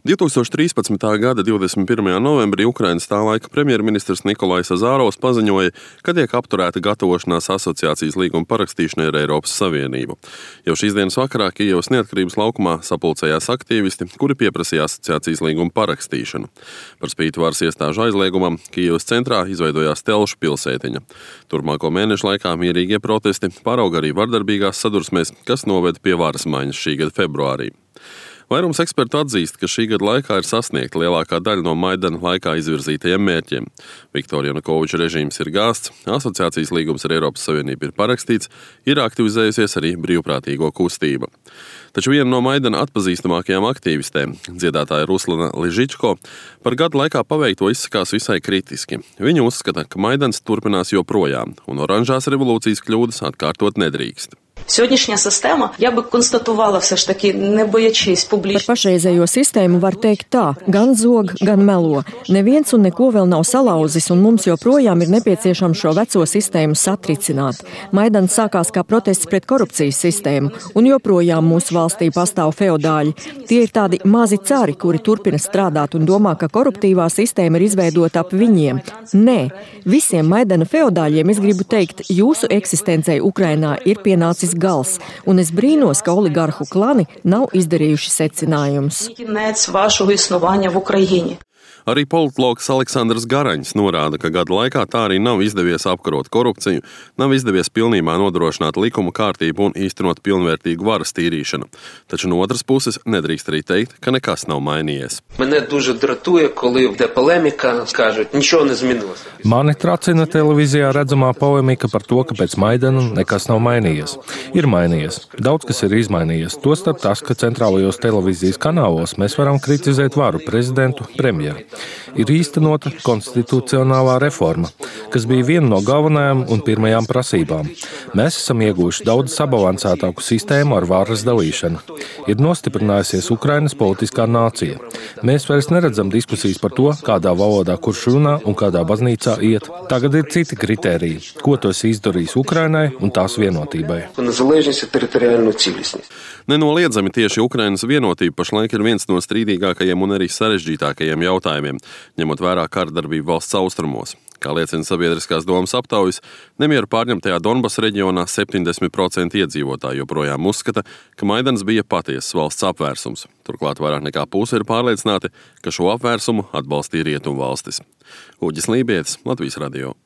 2013. gada 21. novembrī Ukrainas tā laika premjerministrs Nikolais Azārovs paziņoja, ka tiek apturēta gatavošanās asociācijas līguma parakstīšanai ar Eiropas Savienību. Jau šīs dienas vakarā Kijevas Neatkarības laukumā sapulcējās aktīvisti, kuri pieprasīja asociācijas līguma parakstīšanu. Par spīti varas iestāžu aizliegumam, Kijevas centrā izveidojās telšu pilsētiņa. Turpmāko mēnešu laikā mierīgie protesti pārauga arī vardarbīgās sadursmēs, kas noveda pie varas maiņas šī gada februārī. Vairums ekspertu atzīst, ka šī gada laikā ir sasniegta lielākā daļa no Maidana laikā izvirzītajiem mērķiem. Viktora Janukoviča režīms ir gāsts, asociācijas līgums ar Eiropas Savienību ir parakstīts, ir aktivizējusies arī brīvprātīgo kustība. Taču viena no Maidana atpazīstamākajām aktīvistēm, dziedātāja Ruslana Ližičko, par gadu laikā paveikto izsakās visai kritiski. Viņa uzskata, ka Maidans turpinās joprojām, un oranžās revolūcijas kļūdas atkārtot nedrīkst. Сьогоднішня система, я би констатувала все ж таки, не боячись публічно. Par pašreizējo sistēmu var teikt tā, gan zog, gan melo. Neviens un neko vēl nav salauzis, un mums joprojām ir nepieciešams šo veco sistēmu satricināt. Maidans sākās kā protests pret korupcijas sistēmu, un joprojām mūsu valstī pastāv feodāļi. Tie ir tādi mazi cari, kuri turpina strādāt un domā, ka koruptīvā sistēma ir izveidota ap viņiem. Nē, visiem Maidana feodāļiem es gribu teikt, jūsu eksistencei Ukrainā ir pienācis gals, un es brīnos, ka oligarhu klani nav izdarījuši secinājumus. Arī politologs Aleksandrs Garaņs norāda, ka gada laikā tā arī nav izdevies apkarot korupciju, nav izdevies pilnībā nodrošināt likuma kārtību un īstenot pilnvērtīgu varas tīrīšanu. Taču no otras puses nedrīkst arī teikt, ka nekas nav mainījies. Мене дуже дратує, коли йде полеміка, скажуть, нічого не змінилося. Mani tracina televīzijā redzamā polemika par to, ka pēc Maidana nekas nav mainījies. Ir mainījies. Daudz kas ir izmainījies. Tostarp tas, ka centrālajos televīzijas kanālos mēs varam kritizēt varu, prezidentu, premjeru. Ir īstenota konstitucionālā reforma, kas bija viena no galvenajām un pirmajām prasībām. Mēs esam ieguvuši daudz sabalansētāku sistēmu ar varas dalīšanu. Ir nostiprinājusies Ukrainas politiskā nācija. Mēs vairs neredzam diskusijas par to, kādā valodā kurš runā un kādā baznīcā iet. Tagad ir citi kritēriji, ko tas izdarīs Ukrainai un tās vienotībai. Nenoliedzami tieši Ukrainas vienotība pašlaik ir viens no strīdīgākajiem un arī sarežģītākajiem jautājumiem, ņemot vērā kardarbību valsts austrumos. Kā liecina sabiedriskās domas aptaujas, nemieru pārņemtajā Donbasa reģionā 70% iedzīvotāji joprojām uzskata, ka Maidans bija patiesas valsts apvērsums. Turklāt vairāk nekā puse ir pārliecināti, ka šo apvērsumu atbalstīja rietumu valstis. Uģis Lībietis, Latvijas radio.